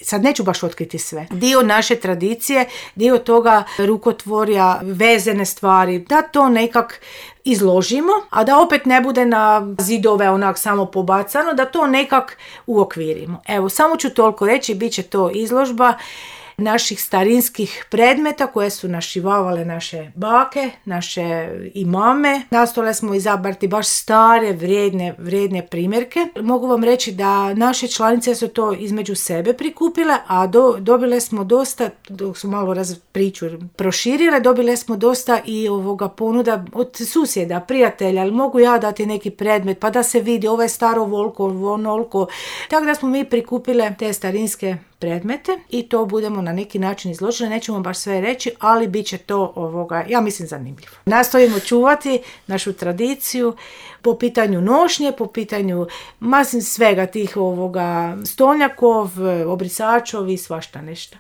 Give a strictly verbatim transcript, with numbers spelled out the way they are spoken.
sad neću baš otkriti sve, dio naše tradicije, dio toga rukotvorja, vezene stvari, da to nekak izložimo, a da opet ne bude na zidove onak samo pobacano, da to nekak uokvirimo. Evo, samo ću toliko reći, bit će to izložba naših starinskih predmeta koje su našivavale naše bake, naše i mame. Nastojale smo izabrati baš stare, vrijedne, vrijedne primjerke. Mogu vam reći da naše članice su to između sebe prikupile, a do, dobile smo dosta, dok su malo raz priču proširile, dobile smo dosta i ovoga ponuda od susjeda, prijatelja, ali mogu ja dati neki predmet pa da se vidi ovo je staro volko, onolko. Tako da smo mi prikupile te starinske predmete i to budemo na neki način izložili, nećemo baš sve reći, ali bit će to ovoga, ja mislim, zanimljivo. Nastojimo čuvati našu tradiciju po pitanju nošnje, po pitanju masim svega tih ovoga stolnjakov, obrisačov i svašta nešto.